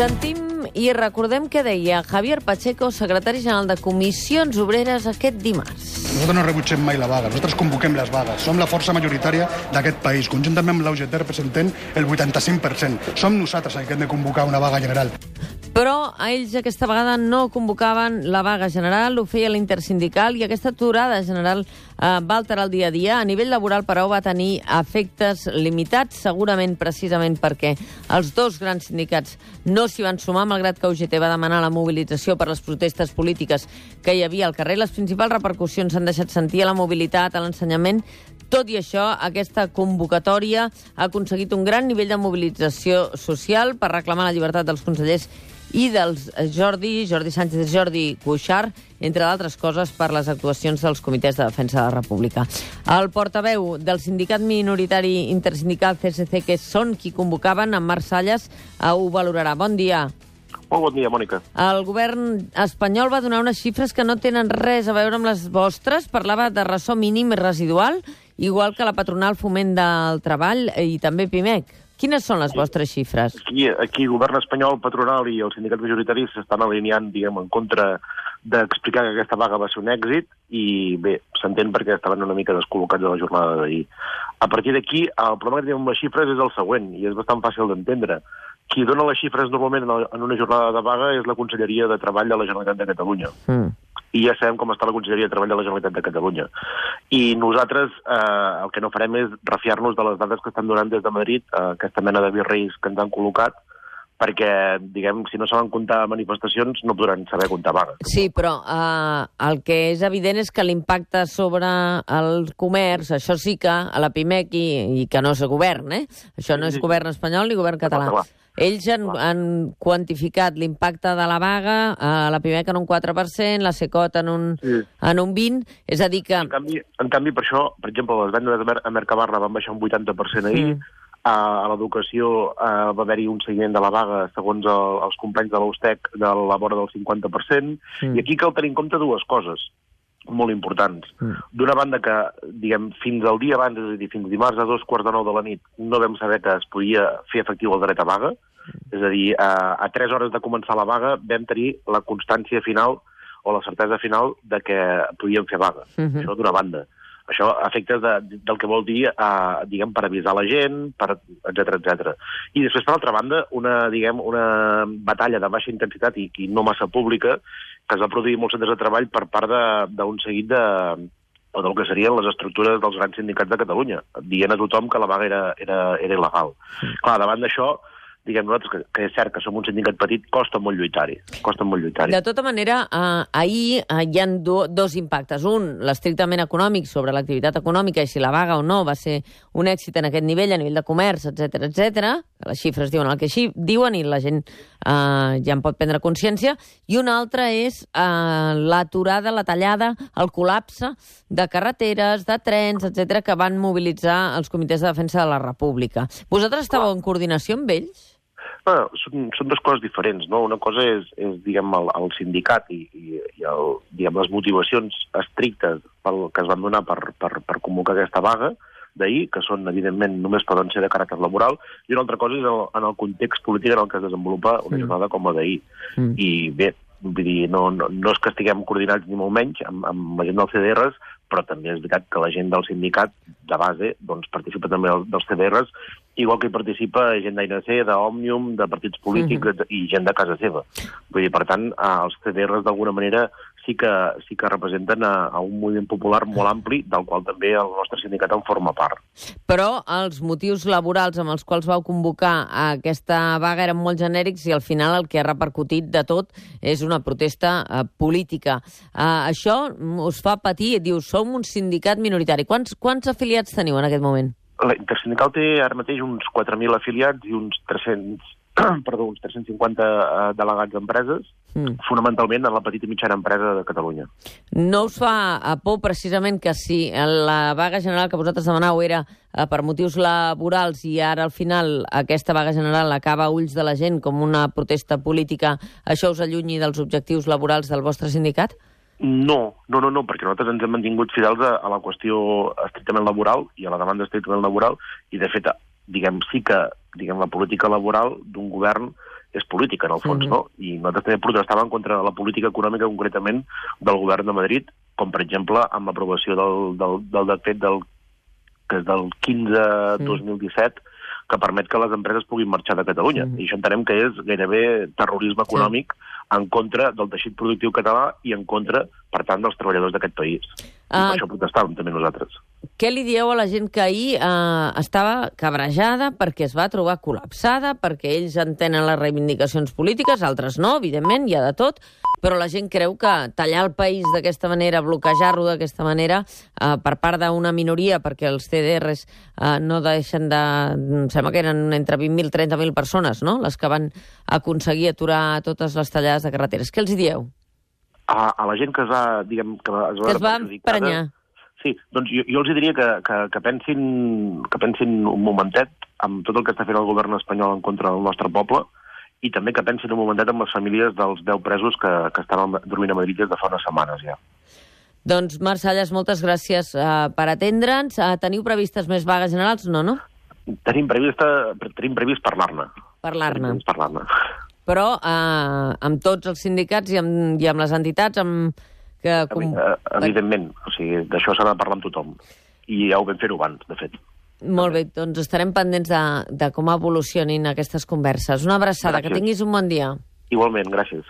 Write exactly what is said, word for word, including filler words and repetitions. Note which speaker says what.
Speaker 1: Sentim i recordem què deia Javier Pacheco, secretari general de Comissions Obreres, aquest dimarts.
Speaker 2: Nosaltres no rebutgem mai la vaga, nosaltres convoquem les vagues. Som la força majoritària d'aquest país. Conjuntament amb l'U G T representem el vuitanta-cinc per cent. Som nosaltres els que hem de convocar una vaga general.
Speaker 1: Però a ells aquesta vegada no convocaven la vaga general, ho feia l'intersindical, i aquesta aturada general eh, va alterar el dia a dia. A nivell laboral, però, va tenir efectes limitats, segurament precisament perquè els dos grans sindicats no s'hi van sumar, malgrat que U G T va demanar la mobilització per les protestes polítiques que hi havia al carrer. Les principals repercussions s'han deixat sentir a la mobilitat, a l'ensenyament. Tot i això, aquesta convocatòria ha aconseguit un gran nivell de mobilització social per reclamar la llibertat dels consellers i dels Jordi, Jordi Sánchez i Jordi Cuixart, entre d'altres coses per les actuacions dels comitès de defensa de la República. El portaveu del sindicat minoritari intersindical C S C, que són qui convocaven, en Marc Salles, ho valorarà. Bon dia.
Speaker 3: Molt bon dia, Mònica.
Speaker 1: El govern espanyol va donar unes xifres que no tenen res a veure amb les vostres. Parlava de ressò mínim i residual, igual que la patronal Foment del Treball i també Pimec. Quines són les vostres xifres?
Speaker 3: Aquí, aquí el govern espanyol, patronal i el sindicat majoritari s'estan alineant, diguem, en contra d'explicar que aquesta vaga va ser un èxit i, bé, s'entén perquè estaven una mica descol·locats de la jornada d'ahir. A partir d'aquí, el problema que tenim amb les xifres és el següent, i és bastant fàcil d'entendre. Qui dona les xifres normalment en una jornada de vaga és la Conselleria de Treball de la Generalitat de Catalunya. Mm. I ja sabem com està la Conselleria de Treball de la Generalitat de Catalunya. I nosaltres eh, el que no farem és refiar-nos de les dades que estan donant des de Madrid, eh, aquesta mena de virreis que ens han col·locat, perquè, diguem, si no saben comptar manifestacions, no podran saber comptar vagues.
Speaker 1: Sí, però eh, el que és evident és que l'impacte sobre el comerç, això sí que a la Pimec i, i que no és govern, eh? Això no és govern espanyol ni govern català. Ells han, han quantificat l'impacte de la vaga, a la Pimec en un quatre per cent, la Secot en un, sí. en un vint, és a dir que...
Speaker 3: En canvi, en canvi, per això, per exemple, les vendes a Mercabarna van baixar un vuitanta per cent ahir, mm. a, a l'educació uh, va haver-hi un seguiment de la vaga, segons el, els companys de l'Austec, de la vora del cinquanta per cent, mm. i aquí cal tenir en compte dues coses molt importants. Mm. D'una banda que, diguem, fins al dia abans, és a dir, fins dimarts a dos quarts de nou de la nit, no vam saber que es podia fer efectiu el dret a vaga, mm. és a dir, a, a tres hores de començar la vaga vam tenir la constància final o la certesa final de que podíem fer vaga. Mm-hmm. Això d'una banda. Això a efectes de, del que vol dir, eh, diguem, per avisar la gent, per etcètera, etcètera. I després, per altra banda, una, diguem, una batalla de baixa intensitat i, i no massa pública que es va produir molts centres de treball per part d'un seguit de, o del que serien les estructures dels grans sindicats de Catalunya, dient a tothom que la vaga era, era, era il·legal. Mm. Clar, davant d'això, diguem nosaltres, que, que és cert que som un sindicat petit, costa molt lluitar-hi. Costa molt lluitar-hi.
Speaker 1: De tota manera, eh, ahir eh, hi ha do, dos impactes. Un, l'estrictament econòmic sobre l'activitat econòmica i si la vaga o no va ser un èxit en aquest nivell, a nivell de comerç, etcètera, etcètera. Les xifres diuen el que així diuen i la gent eh, ja en pot prendre consciència. I un altre és eh, l'aturada, la tallada, el col·lapse de carreteres, de trens, etcètera, que van mobilitzar els comitès de defensa de la República. Vosaltres estàveu en coordinació amb ells?
Speaker 3: No, són, són dues coses diferents, no? Una cosa és, és diguem, el, el sindicat i, i, i el, diguem, les motivacions estrictes pel, que es van donar per, per, per convocar aquesta vaga d'ahir, que són, evidentment, només poden ser de caràcter laboral, i una altra cosa és el, en el context polític en el que es desenvolupa una jornada com la d'ahir. Mm. I bé, vull dir, no, no, no és que estiguem coordinats ni molt menys amb, amb la gent dels C D Rs, però també és veritat que la gent del sindicat de base doncs, participa també dels C D Rs, igual que hi participa gent d'A N C, d'Òmnium, de partits polítics mm-hmm. i gent de casa seva. Vull dir, per tant, els C D Rs d'alguna manera sí que, sí que representen a, a un moviment popular molt ampli, del qual també el nostre sindicat en forma part.
Speaker 1: Però els motius laborals amb els quals vau convocar aquesta vaga eren molt genèrics i al final el que ha repercutit de tot és una protesta uh, política. Uh, això us fa patir, dius, som un sindicat minoritari. Quants, quants afiliats teniu en aquest moment?
Speaker 3: La Intersindical té ara mateix uns quatre mil afiliats i uns tres-cents, perdó, uns tres-cents cinquanta uh, delegats d'empreses, mm. fonamentalment en la petita i mitjana empresa de Catalunya.
Speaker 1: No us fa por precisament que si la vaga general que vosaltres demanau era uh, per motius laborals i ara al final aquesta vaga general acaba a ulls de la gent com una protesta política, això us allunyi dels objectius laborals del vostre sindicat?
Speaker 3: No, no, no, no, perquè nosaltres ens hem mantingut fidels a, a la qüestió estrictament laboral i a la demanda estrictament laboral i, de fet, diguem, sí que diguem, la política laboral d'un govern és política, en el fons, mm-hmm. no? I nosaltres també protestàvem contra la política econòmica, concretament, del govern de Madrid, com, per exemple, amb l'aprovació del, del, del decret del, que és del quinze dos mil disset, que permet que les empreses puguin marxar de Catalunya. Mm-hmm. I això entenem que és gairebé terrorisme econòmic sí. en contra del teixit productiu català i en contra, per tant, dels treballadors d'aquest país. I uh, per això protestàvem també nosaltres.
Speaker 1: Què li dieu a la gent que ahir eh, estava cabrejada perquè es va trobar col·lapsada, perquè ells entenen les reivindicacions polítiques, altres no, evidentment, hi ha de tot, però la gent creu que tallar el país d'aquesta manera, bloquejar-lo d'aquesta manera, eh, per part d'una minoria, perquè els C D Rs eh, no deixen de... Em sembla que eren entre vint mil i trenta mil persones, no?, les que van aconseguir aturar totes les tallades de carreteres. Què els dieu?
Speaker 3: A, a la gent que es va, diguem, que es va,
Speaker 1: que es va emprenyar.
Speaker 3: Sí, doncs jo, jo els diria que, que, que, pensin, que pensin un momentet amb tot el que està fent el govern espanyol en contra del nostre poble i també que pensin un momentet amb les famílies dels deu presos que, que estan dormint a Madrid des de fa unes setmanes ja.
Speaker 1: Doncs, Marc Salles, moltes gràcies uh, per atendre'ns. Uh, teniu previstes més vagues generals? No, no?
Speaker 3: Tenim previst, tenim previst parlar-ne.
Speaker 1: Parlar-ne.
Speaker 3: Parlar-ne.
Speaker 1: Però uh, amb tots els sindicats i amb, i amb les entitats, amb... Que, com...
Speaker 3: Evidentment, o sigui, d'això s'ha de parlar amb tothom. I ja ho vam fer-ho abans, de fet.
Speaker 1: Molt bé, doncs estarem pendents de, de com evolucionin aquestes converses. Una abraçada, gràcies. Que tinguis un bon dia.
Speaker 3: Igualment, gràcies.